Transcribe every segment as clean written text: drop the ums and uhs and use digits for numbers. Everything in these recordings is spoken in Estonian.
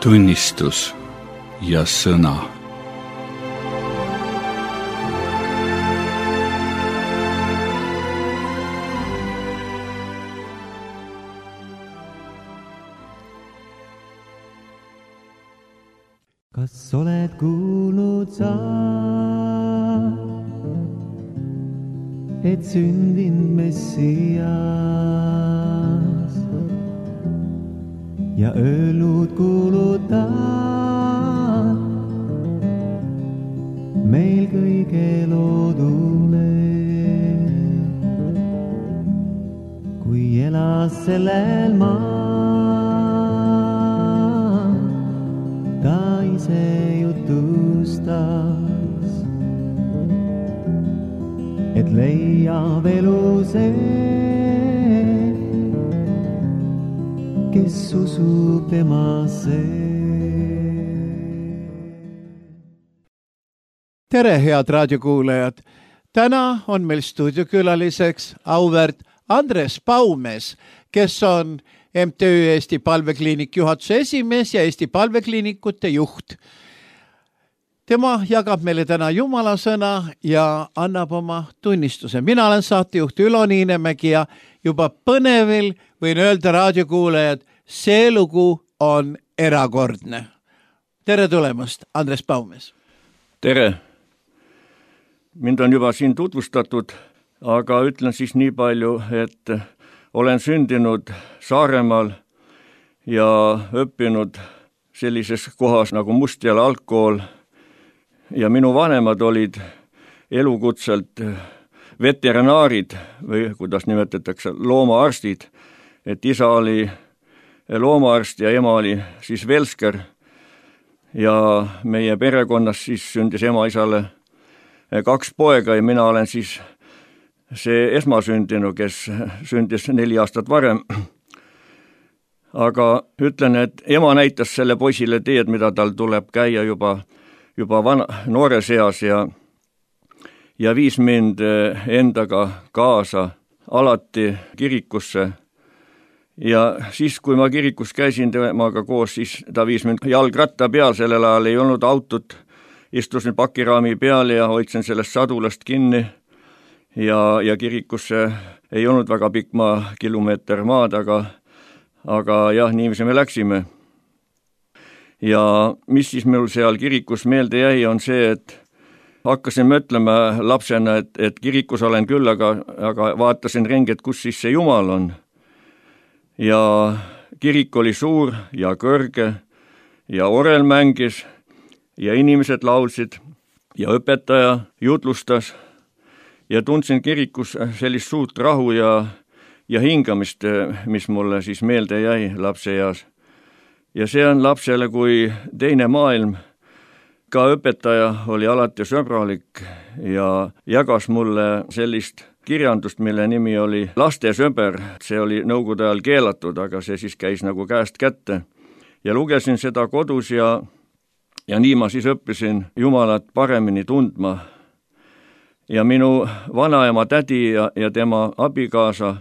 tunnistus ja sõna. Kas oled kuulnud sa, et sündinud Messias ja öelnud kuuluta meil kõige loodule, kui elas sellel maal ta ise jutustas, et leiab elu see, kes usub temasse. Tere, head raadiokuulajad! Täna on meil stuudiokülaliseks auväärt Andres Paumes, kes on MTÜ Eesti Palvekliinik juhatuse esimees ja Eesti Palvekliinikute juht. Tema jagab meile täna Jumala sõna ja annab oma tunnistuse. Mina olen saatejuht Ülo Niinemägi ja juba põnevil võin öelda raadiokuulajad, see lugu on erakordne. Tere tulemast, Andres Paumes! Tere! Mind on juba siin tutvustatud, aga ütlen siis nii palju, et olen sündinud Saaremaal ja õppinud sellises kohas nagu Mustjala algkool ja minu vanemad olid elukutselt veterinaarid või kuidas nimetatakse, loomaarstid, et isa oli loomaarst ja ema oli siis velsker ja meie perekonnas siis sündis ema-isale 2 poega ja mina olen siis see esmasündinu, kes sündis 4 aastat varem. Aga ütlen, et ema näitas selle poisile teed, mida tal tuleb käia juba noore seas ja viis mind endaga kaasa alati kirikusse. Ja siis, kui ma kirikus käisin temaga koos, siis ta viis mind jalgratta peal, sellel ajal ei olnud autot, istusin pakiraami peal ja hoidsin sellest sadulast kinni. Ja kirikusse ei olnud väga pikk kilomeeter maad, aga jah, niiviisi me läksime. Ja mis siis mul seal kirikus meelde jäi, on see, et hakkasin mõtlema lapsena, et kirikus olen küll, aga vaatasin ringi, et kus siis see Jumal on. Ja kirik oli suur ja kõrge ja orel mängis ja inimesed laulsid ja õpetaja jutlustas. Ja tundsin kirikus sellist suurt rahu ja hingamist, mis mulle siis meelde jäi lapseeas. Ja see on lapsele kui teine maailm. Ka õpetaja oli alati sõbralik ja jagas mulle sellist kirjandust, mille nimi oli Lastesõber. See oli nõukogude ajal keelatud, aga see siis käis nagu käest kätte. Ja lugesin seda kodus ja nii ma siis õppisin Jumalat paremini tundma. Ja minu vanaema tädi ja tema abikaasa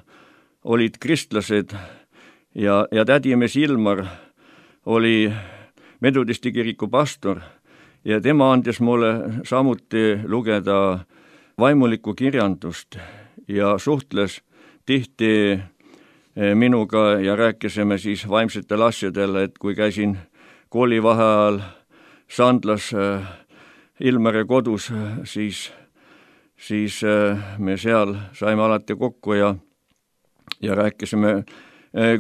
olid kristlased ja tädimees Ilmar oli Metodisti kiriku pastor ja tema andis mulle samuti lugeda vaimulikku kirjandust ja suhtles tihti minuga ja rääkisime siis vaimsetel asjadel, et kui käisin koolivaheajal Sandlas Ilmari kodus, siis me seal saime alati kokku ja rääkisime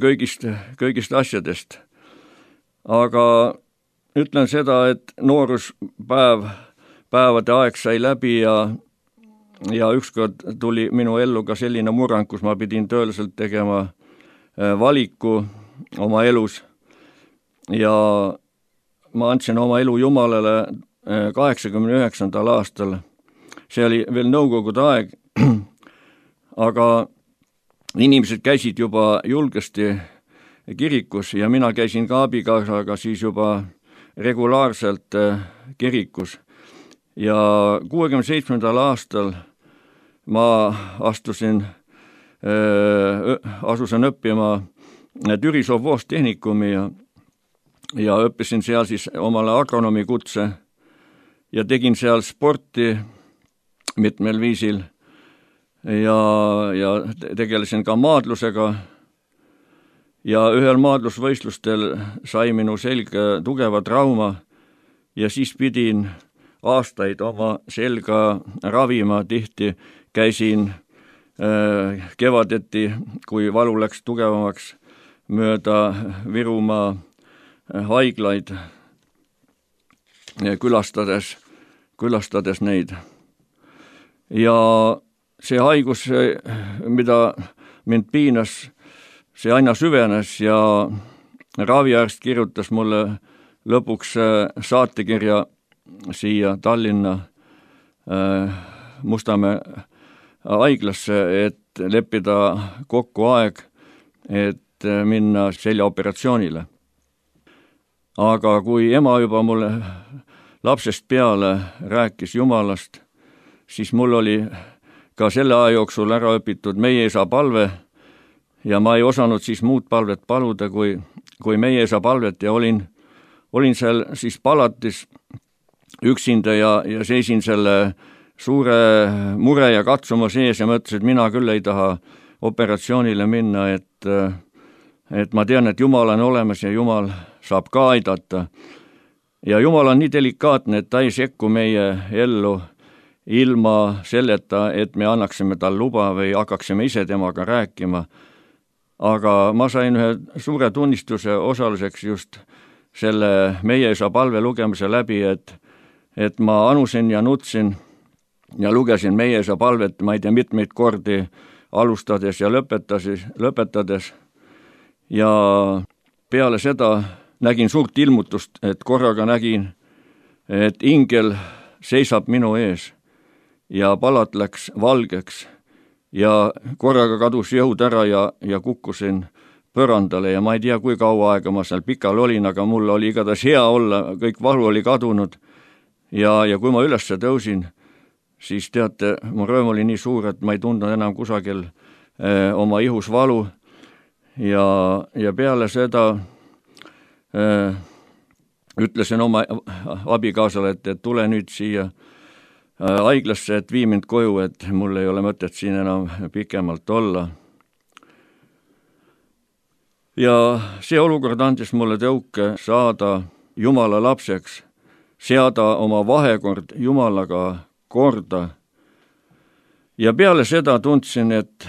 kõigist asjadest. Aga ütlen seda, et nooruspäevade aeg sai läbi ja ükskord tuli minu ellu ka selline murrang, kus ma pidin tõeliselt tegema valiku oma elus ja ma andsin oma elu Jumalale 89. aastal. See oli veel nõukogude aeg, aga inimesed käisid juba julgesti kirikus ja mina käisin ka abikaasaga siis juba regulaarselt kirikus. Ja 67. aastal ma asusin õppima Türi Sovvoostehnikumi ja õppisin seal siis omale agronoomi kutse ja tegin seal sporti mitmel viisil ja tegelesin ka maadlusega ja ühel maadlusvõistlustel sai minu selga tugeva trauma ja siis pidin aastaid oma selga ravima, tihti käisin kevadeti, kui valu läks tugevamaks, mööda Virumaa haiglaid külastades neid. Ja see haigus, mida mind piinas, see aina süvenes ja raviarst kirjutas mulle lõpuks saatekirja siia Tallinna Mustamäe haiglasse, et leppida kokku aeg, et minna seljaoperatsioonile. Aga kui ema juba mulle lapsest peale rääkis Jumalast, siis mul oli ka selle aja jooksul ära õpitud Meie Isa palve ja ma ei osanud siis muud palvet paluda kui Meie Isa palvet ja olin seal siis palatis üksinda ja seisin selle suure mure ja katsuma sees ja mõtlesin, et mina küll ei taha operatsioonile minna, et ma tean, et Jumal on olemas ja Jumal saab ka aidata. Ja Jumal on nii delikaatne, et ta ei sekku meie ellu ilma selleta, et me annaksime tal luba või hakkaksime ise temaga rääkima. Aga ma sain ühe suure tunnistuse osaluseks just selle Meie Isa palve lugemise läbi, et ma anusin ja nutsin ja lugesin Meie Isa palvet, ma ei tea, mitmeid kordi alustades ja lõpetades. Ja peale seda nägin suurt ilmutust, et korraga nägin, et ingel seisab minu ees ja palat läks valgeks ja korraga kadus jõud ära ja kukkusin põrandale ja ma ei tea, kui kaua aega ma seal pikal olin, aga mul oli igatahes hea olla, kõik valu oli kadunud ja kui ma üles tõusin, siis teate, mu rõõm oli nii suur, et ma ei tundnud enam kusagil oma ihus valu ja peale seda ütlesin oma abikaasale, et tule nüüd siia haiglasse, et vii mind koju, et mul ei ole mõtet siin enam pikemalt olla. Ja see olukord andis mulle tõuke saada Jumala lapseks, seada oma vahekord Jumalaga korda. Ja peale seda tundsin, et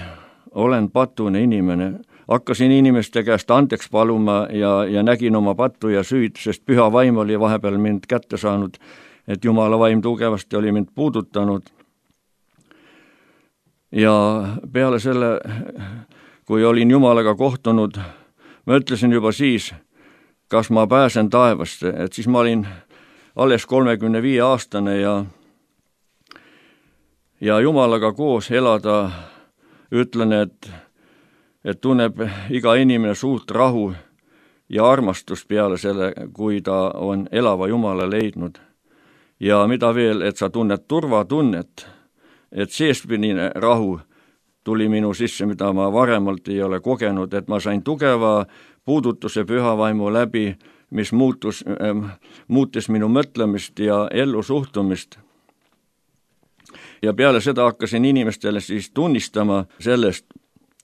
olen patune inimene. Hakkasin inimeste käest andeks paluma ja nägin oma pattu ja süüd, sest püha vaim oli vahepeal mind kätte saanud, et Jumala vaim tugevasti oli mind puudutanud. Ja peale selle, kui olin Jumalaga kohtunud, ma ütlesin juba siis, kas ma pääsen taevasse, et siis ma olin alles 35-aastane ja Jumalaga koos elada, ütlen, et tunneb iga inimene suurt rahu ja armastust peale selle, kui ta on elava Jumala leidnud. Ja mida veel, et sa tunned turvatunnet, et seespidine rahu tuli minu sisse, mida ma varemalt ei ole kogenud, et ma sain tugeva puudutuse püha vaimu läbi, mis muutis minu mõtlemist ja ellu suhtumist. Ja peale seda hakkasin inimestele siis tunnistama sellest,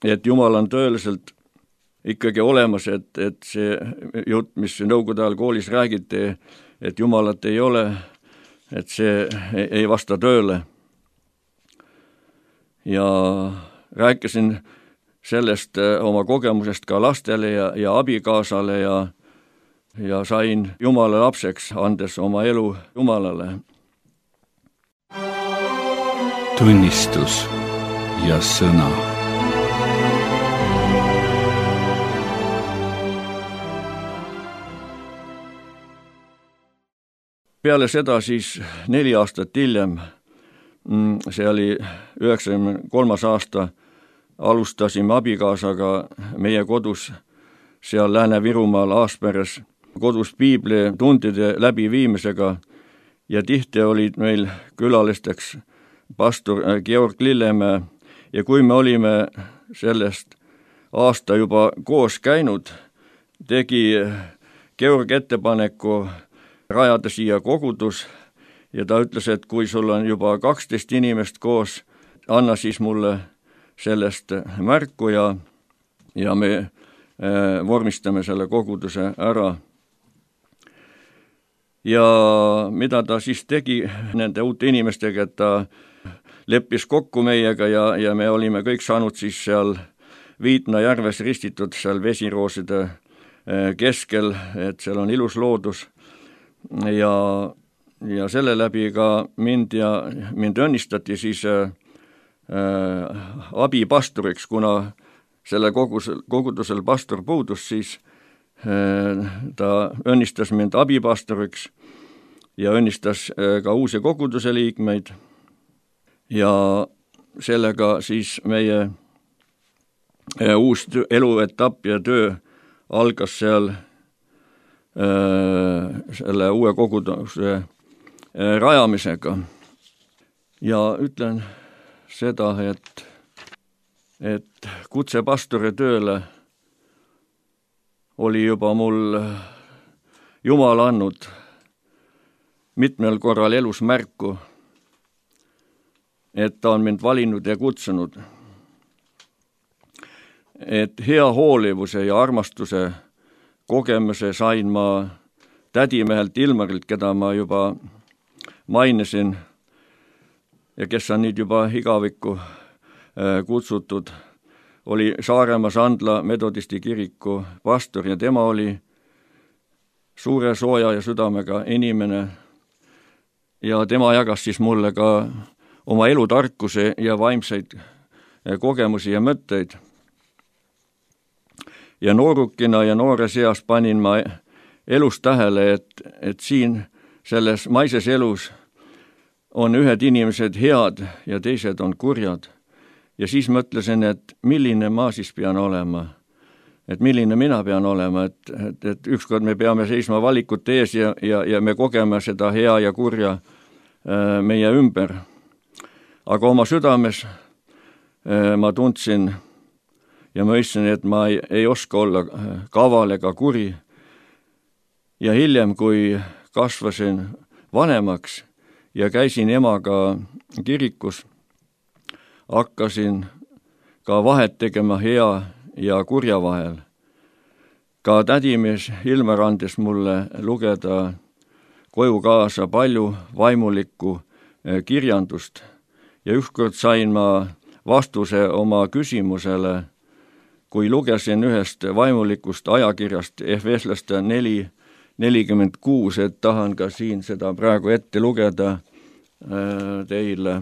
et Jumal on tõeliselt ikkagi olemas, et see jutt, mis nõukogude ajal koolis räägiti, et Jumalat ei ole, et see ei vasta tööle. Ja rääkisin sellest oma kogemusest ka lastele ja abikaasale ja sain Jumala lapseks, andes oma elu Jumalale. Tunnistus ja sõna. Peale seda siis 4 aastat hiljem, see oli 93. aasta, alustasime abikaasaga meie kodus seal Lääne-Virumaal Aasperes kodus piiblitundide läbiviimisega ja tihti olid meil külalisteks pastor Georg Lillemäe ja kui me olime sellest aasta juba koos käinud, tegi Georg ettepaneku rajada siia kogudus ja ta ütles, et kui sul on juba 12 inimest koos, anna siis mulle sellest märku ja me vormistame selle koguduse ära. Ja mida ta siis tegi nende uute inimestega, et ta leppis kokku meiega ja me olime kõik saanud siis seal Viitna järves ristitud seal vesirooside keskel, et seal on ilus loodus ja selle läbi ka mind õnnistati siis abipastoriks, kuna selle kogudusel pastor puudus, siis ta õnnistas mind abipastoriks ja õnnistas ka uusi koguduse liikmeid ja sellega siis meie uus eluetapp ja töö algas seal selle uue koguduse rajamisega. Ja ütlen seda, et kutse pastori tööle oli juba mul Jumal andnud mitmel korral elus märku, et ta on mind valinud ja kutsunud. Et hea hoolivuse ja armastuse kogemuse sain ma tädimehelt Ilmarilt, keda ma juba mainisin ja kes on nüüd juba igavikku kutsutud, oli Saaremaa Sandla metodisti kiriku pastor ja tema oli suure sooja ja südamega inimene ja tema jagas siis mulle ka oma elutarkuse ja vaimseid kogemusi ja mõtteid. Ja noorukina ja noores eas panin ma elus tähele, et siin selles maises elus on ühed inimesed head ja teised on kurjad. Ja siis mõtlesin, et milline ma siis pean olema, et milline mina pean olema, et ükskord me peame seisma valikute ees ja me kogeme seda hea ja kurja meie ümber. Aga oma südames ma tundsin ja mõistsin, et ma ei oska olla kaval ega kuri. Ja hiljem, kui kasvasin vanemaks ja käisin emaga kirikus, hakkasin ka vahet tegema hea ja kurja vahel. Ka tädimees Ilmar andis mulle lugeda koju kaasa palju vaimulikku kirjandust ja ükskord sain ma vastuse oma küsimusele, kui lugesin ühest vaimulikust ajakirjast Efeslaste 4:46, et tahan ka siin seda praegu ette lugeda teile.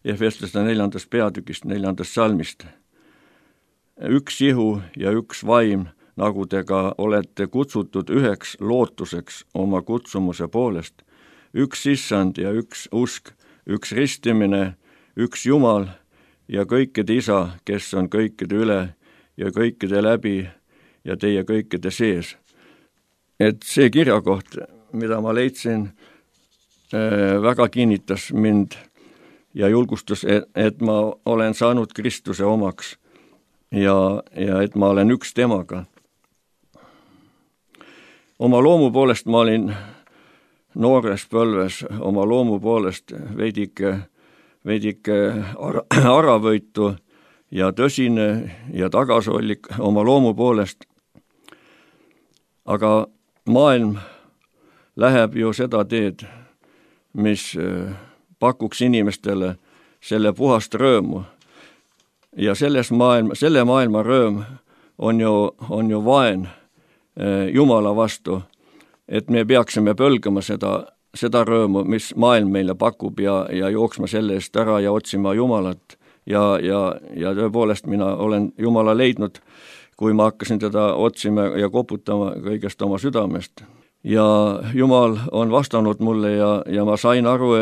Efeslaste 4. peatükist 4. salmist. Üks ihu ja üks vaim, nagu te ka olete kutsutud üheks lootuseks oma kutsumuse poolest. Üks issand ja üks usk, üks ristimine, üks Jumal ja kõikide isa, kes on kõikide üle ja kõikide läbi ja teie kõikide sees. Et see kirjakoht, mida ma leidsin, väga kinnitas mind ja julgustus, et ma olen saanud Kristuse omaks ja et ma olen üks temaga. Oma loomu poolest ma olin noores põlves, oma loomu poolest veidike aravõitu ja tõsine ja tagasihoidlik oma loomu poolest. Aga maailm läheb ju seda teed, mis pakuks inimestele selle puhast rõõmu. Ja selle maailma rõõm on ju vaen Jumala vastu, et me peaksime põlgama seda rõõmu, mis maailm meile pakub ja jooksma selle eest ära ja otsima Jumalat. Ja tõepoolest mina olen Jumala leidnud, kui ma hakkasin teda otsima ja koputama kõigest oma südamest. Ja Jumal on vastanud mulle ja ma sain aru,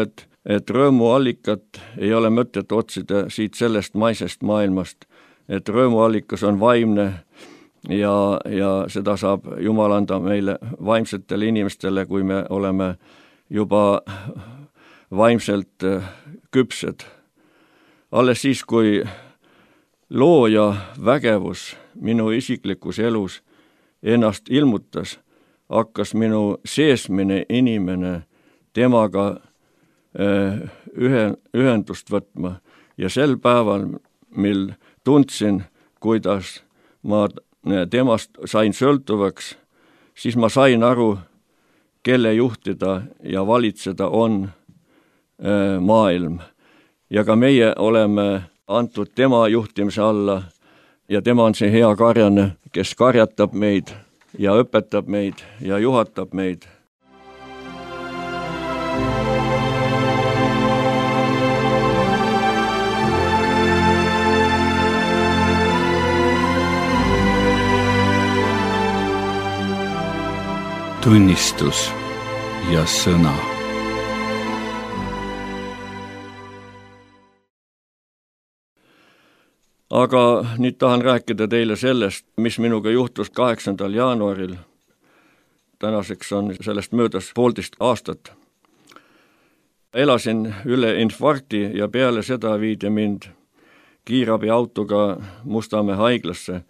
et rõõmu allikat ei ole mõtet otsida siit sellest maisest maailmast, et rõõmu allikas on vaimne ja seda saab Jumal anda meile vaimsetele inimestele, kui me oleme juba vaimselt küpsed. Alles siis, kui looja vägevus minu isiklikus elus ennast ilmutas, hakkas minu seesmine inimene temaga ühendust võtma ja sel päeval, mil tundsin, kuidas ma temast sain sõltuvaks, siis ma sain aru, kelle juhtida ja valitseda on maailm. Ja ka meie oleme antud tema juhtimise alla ja tema on see hea karjane, kes karjatab meid ja õpetab meid ja juhatab meid. Tunnistus ja sõna. Aga nüüd tahan rääkida teile sellest, mis minuga juhtus 8. jaanuaril. Tänaseks on sellest möödas 1,5 aastat. Elasin üle infarkti ja peale seda viidi mind kiirabiautoga Mustamäe haiglasse.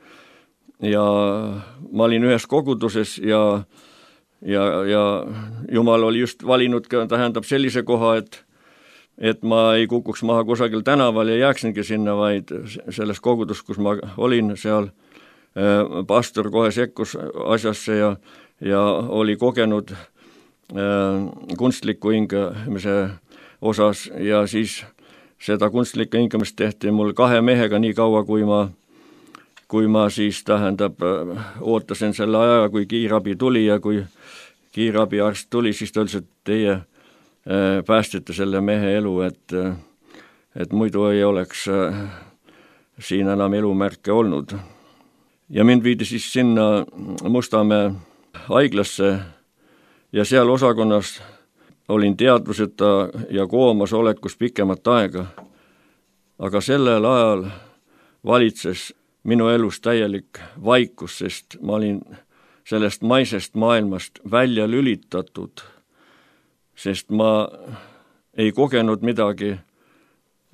Ja ma olin ühes koguduses ja Jumal oli just valinud ka, tähendab sellise koha, et ma ei kukuks maha kusagil tänaval ja jääksingi sinna, vaid selles kogudus, kus ma olin, seal pastor kohe sekkus asjasse ja oli kogenud kunstliku hingamise osas ja siis seda kunstlikku hingamist tehti mul 2 mehega nii kaua, kui ma siis tähendab ootasin selle aja, kui kiirabi tuli ja kui kiirabiarst tuli, siis ta ütles, et teie päästite selle mehe elu, et muidu ei oleks siin enam elumärke olnud. Ja mind viidi siis sinna Mustamäe haiglasse ja seal osakonnas olin teadvuseta ja koomas olekus pikemat aega. Aga sellel ajal valitses minu elus täielik vaikus, sest ma olin sellest maisest maailmast välja lülitatud, sest ma ei kogenud midagi.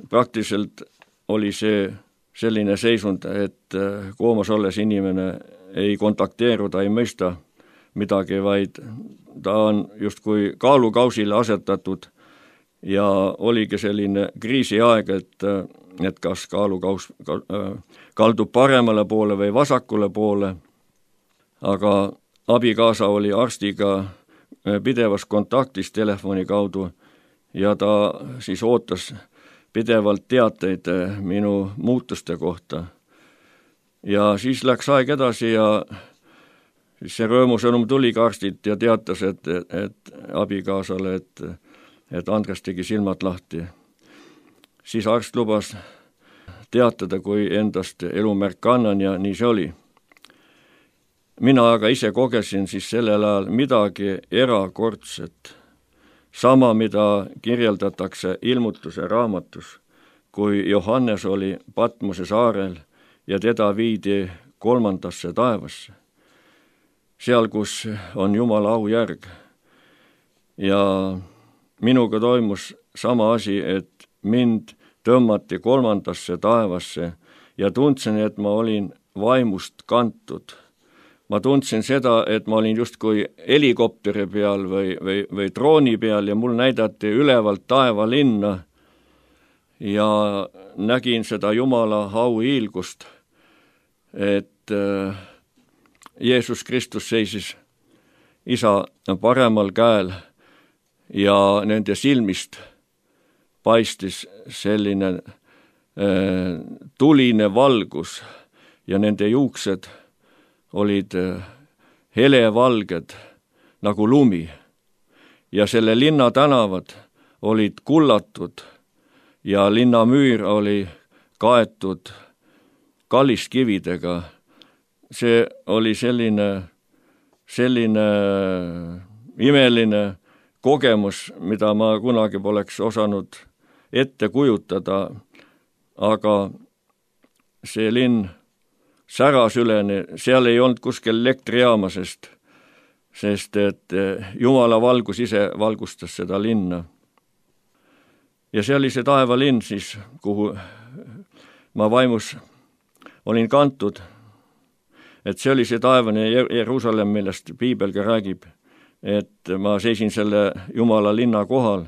Praktiliselt oli see selline seisund, et koomas olles inimene ei kontakteeru, ta ei mõista midagi, vaid ta on justkui kaalukausile asetatud ja oligi selline kriisiaeg, et kas kaalukaus kaldub paremale poole või vasakule poole. Aga abikaasa oli arstiga pidevas kontaktis telefoni kaudu ja ta siis ootas pidevalt teateid minu muutuste kohta. Ja siis läks aeg edasi ja siis see rõõmusõnum tuli ka arstilt ja teatas, et abikaasale, et Andres tegi silmad lahti. Siis arst lubas teatada, kui endast elumärk annan ja nii see oli. Mina aga ise kogesin siis sellel ajal midagi erakordset. Sama, mida kirjeldatakse ilmutuse raamatus, kui Johannes oli Patmose saarel ja teda viidi 3. taevasse. Seal, kus on Jumala aujärg. Ja minuga toimus sama asi, et mind tõmmati 3. taevasse ja tundsin, et ma olin vaimust kantud. Ma tundsin seda, et ma olin justkui helikopteri peal või drooni peal ja mul näidati ülevalt taevalinna ja nägin seda Jumala auhiilgust, et Jeesus Kristus seisis Isa paremal käel ja nende silmist paistis selline tuline valgus ja nende juuksed olid helevalged nagu lumi ja selle linna tänavad olid kullatud ja linna müür oli kaetud kalliskividega. See oli selline imeline kogemus, mida ma kunagi poleks osanud ette kujutada, aga see linn säras üleni, seal ei olnud kuskil elektrijaama, sest et Jumala valgus ise valgustas seda linna. Ja see oli see taevalinn siis, kuhu ma vaimus olin kantud. et see oli see taevane Jeruusalemm, millest piibel ka räägib, et ma seisin selle Jumala linna kohal,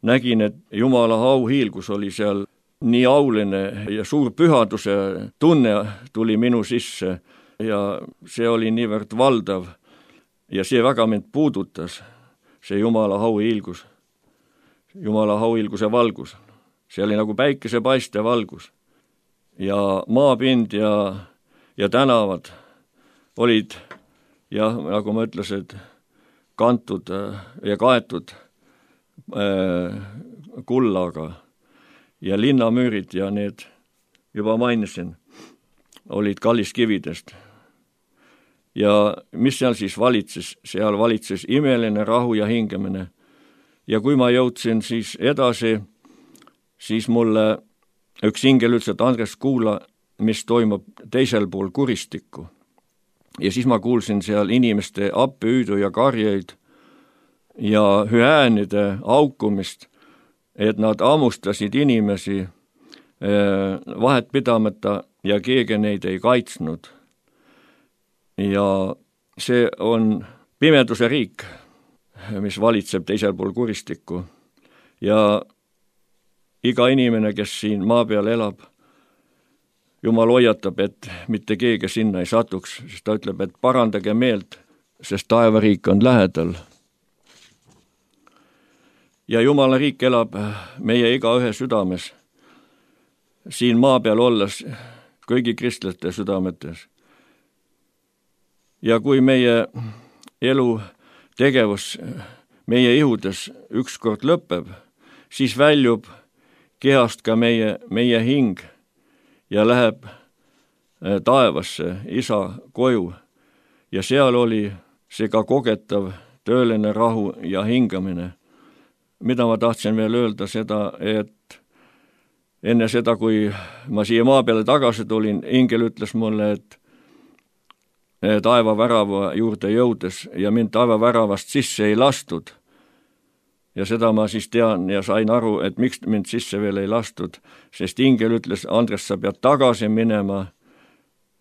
nägin, et Jumala auhiilgus oli seal nii auline ja suur pühaduse tunne tuli minu sisse ja see oli niivõrd valdav ja see väga mind puudutas, see Jumala auhiilgus, Jumala auhiilguse valgus. See oli nagu päikesepaiste valgus ja maapind ja tänavad olid jah, nagu ma ütlesin, kantud ja kaetud kullaga ja linnamüürid ja need, juba mainisin, olid kalliskividest. Ja mis seal siis valitses? Seal valitses imeline rahu ja hingamine. Ja kui ma jõudsin siis edasi, siis mulle üks ingel ütles, et Andres, kuula, mis toimub teisel pool kuristikku. Ja siis ma kuulsin seal inimeste appihüüdu ja karjeid ja hüäänide aukumist, et nad ammustasid inimesi vahet pidamata ja keegi neid ei kaitsnud. Ja see on pimeduse riik, mis valitseb teisel pool kuristikku. Ja iga inimene, kes siin maa peal elab, Jumal hoiatab, et mitte keegi sinna ei satuks, sest ta ütleb, et parandage meelt, sest taevariik on lähedal. Ja Jumala riik elab meie igaühe südames, siin maa peal olles kõigi kristlaste südametes. Ja kui meie elu tegevus meie ihudes ükskord lõpeb, siis väljub kehast ka meie hing ja läheb taevasse, isa koju. Ja seal oli see ka kogetav tööline rahu ja hingamine. Mida ma tahtsin veel öelda seda, et enne seda, kui ma siia maa peale tagasi tulin, ingel ütles mulle, et taevavärava juurde jõudes ja mind taevaväravast sisse ei lastud. Ja seda ma siis tean ja sain aru, et miks mind sisse veel ei lastud, sest ingel ütles, Andres, sa pead tagasi minema,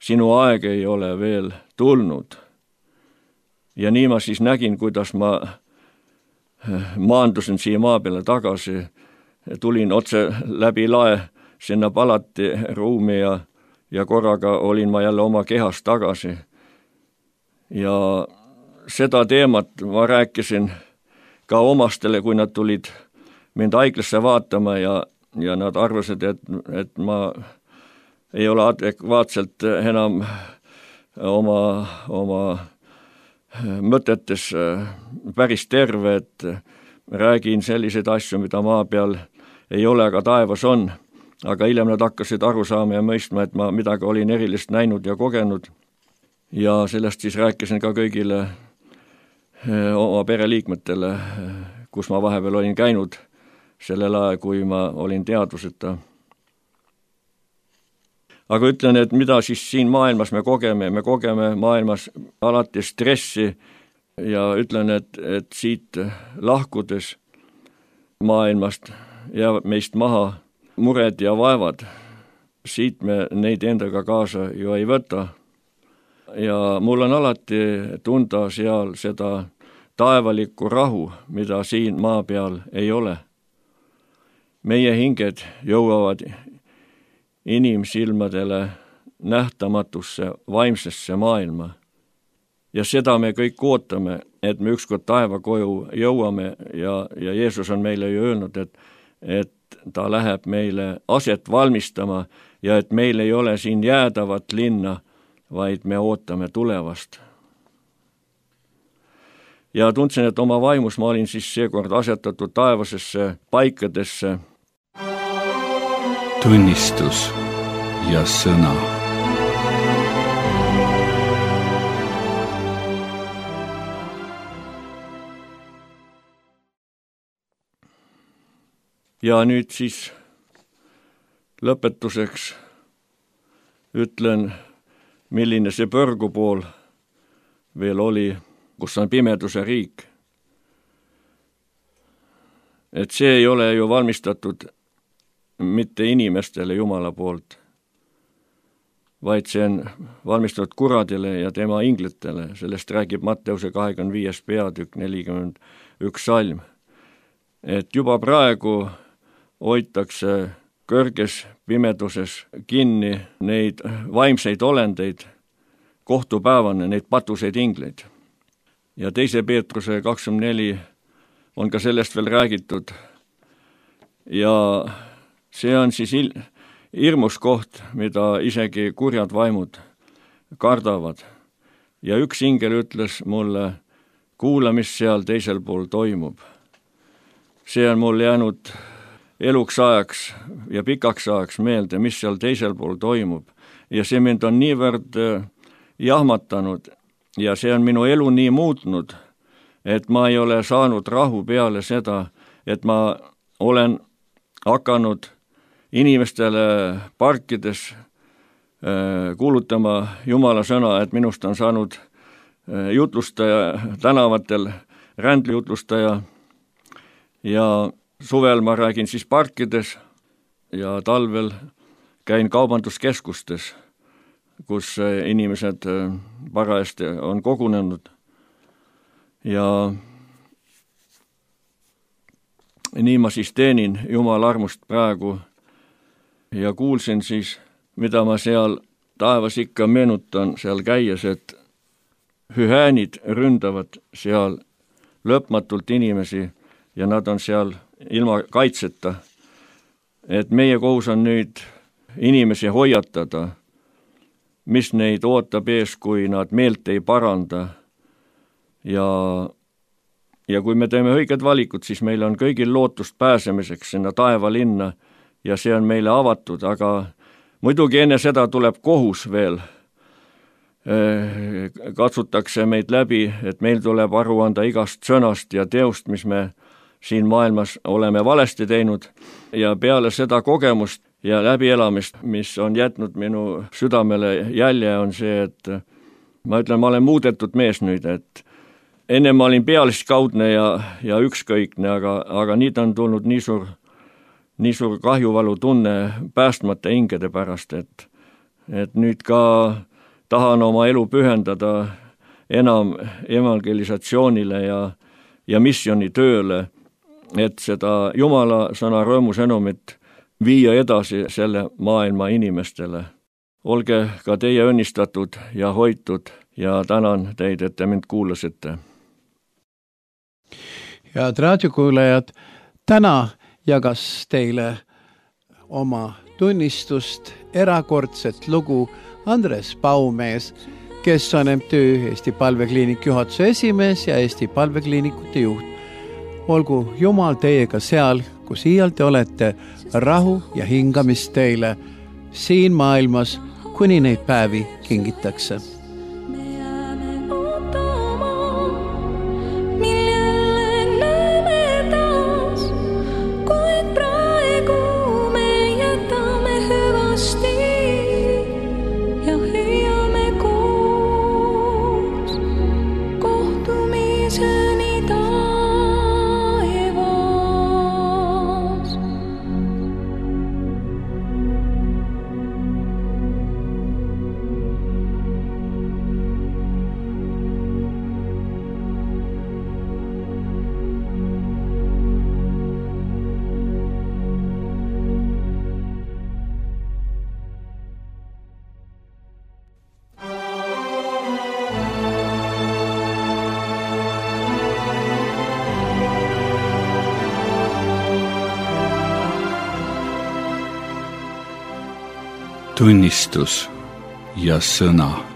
sinu aeg ei ole veel tulnud. Ja nii ma siis nägin, kuidas ma maandusin siia maa peale tagasi, tulin otse läbi lae sinna palati ruumi ja korraga olin ma jälle oma kehas tagasi. Ja seda teemat ma rääkisin ka omastele, kui nad tulid mind haiglasse vaatama ja nad arvasid, et ma ei ole adekvaatselt enam oma mõtetes päris terve, et räägin selliseid asju, mida maa peal ei ole, aga taevas on. Aga hiljem nad hakkasid aru saama ja mõistma, et ma midagi olin erilist näinud ja kogenud. Ja sellest siis rääkisin ka kõigile oma pereliikmetele, kus ma vahepeal olin käinud sellel ajal, kui ma olin teadvuseta. Aga ütlen, et mida siis siin maailmas me kogeme maailmas alati stressi ja ütlen, et siit lahkudes maailmast jäävad meist maha mured ja vaevad. Siit me neid endaga kaasa ju ei võta. Ja mul on alati tunda seal seda taevalikku rahu, mida siin maa peal ei ole. Meie hinged jõuavad inimsilmadele nähtamatusse vaimsesse maailma. Ja seda me kõik ootame, et me ükskord taevakoju jõuame ja Jeesus on meile ju öelnud, et ta läheb meile aset valmistama ja et meil ei ole siin jäädavat linna, vaid me ootame tulevast. Ja tundsin, et oma vaimus ma olin siis seekord asetatud taevasesse paikadesse. Tunnistus ja sõna. Ja nüüd siis lõpetuseks ütlen, milline see põrgupool veel oli, kus on pimeduse riik. Et see ei ole ju valmistatud mitte inimestele Jumala poolt, vaid see on valmistatud kuradile ja tema inglitele. Sellest räägib Matteuse 25. peatükk 41 salm. Et juba praegu hoitakse kõrges pimeduses kinni neid vaimseid olendeid kohtupäevane, neid patuseid ingleid. Ja 2. Peetruse 24 on ka sellest veel räägitud. Ja see on siis hirmus koht, mida isegi kurjad vaimud kardavad. Ja üks ingel ütles mulle, kuula, mis seal teisel pool toimub. See on mul jäänud eluks ajaks ja pikaks ajaks meelde, mis seal teisel pool toimub. Ja see mind on niivõrd jahmatanud ja see on minu elu nii muutnud, et ma ei ole saanud rahu peale seda, et ma olen hakanud inimestele parkides kuulutama Jumala sõna, et minust on saanud jutlustaja tänavatel, rändlijutlustaja ja suvel ma räägin siis parkides ja talvel käin kaubanduskeskustes, kus inimesed parajasti on kogunenud ja nii ma siis teenin Jumala armust praegu ja kuulsin siis, mida ma seal taevas ikka meenutan seal käies, et hüäänid ründavad seal lõpmatult inimesi ja nad on seal ilma kaitseta. Et meie kohus on nüüd inimesi hoiatada, mis neid ootab ees, kui nad meelt ei paranda. Ja kui me teeme õiged valikud, siis meil on kõigil lootust pääsemiseks sinna taevalinna ja see on meile avatud, aga muidugi enne seda tuleb kohus veel. Katsutakse meid läbi, et meil tuleb aru anda igast sõnast ja teost, mis me siin maailmas oleme valesti teinud ja peale seda kogemust ja läbielamist, mis on jätnud minu südamele jälje, on see, et ma ütlen, ma olen muudetud mees nüüd, et enne ma olin pealiskaudne ja ükskõikne, aga nüüd on tulnud nii suur kahjuvalu tunne päästmata hingede pärast, et nüüd ka tahan oma elu pühendada enam evangelisatsioonile ja missionitööle, et seda Jumala sõna rõõmusõnumit viia edasi selle maailma inimestele. Olge ka teie õnnistatud ja hoitud ja tänan teid, et te mind kuulasite. Head raadiokuulajad, täna jagas teile oma tunnistust, erakordset lugu Andres Paumees, kes on MTÜ Eesti Palvekliinik juhatuse esimees ja Eesti Palvekliinikute juht. Olgu Jumal teiega seal, kus iial te olete, rahu ja hingamist teile siin maailmas, kuni neid päevi kingitakse. Tunnistus ja sõna.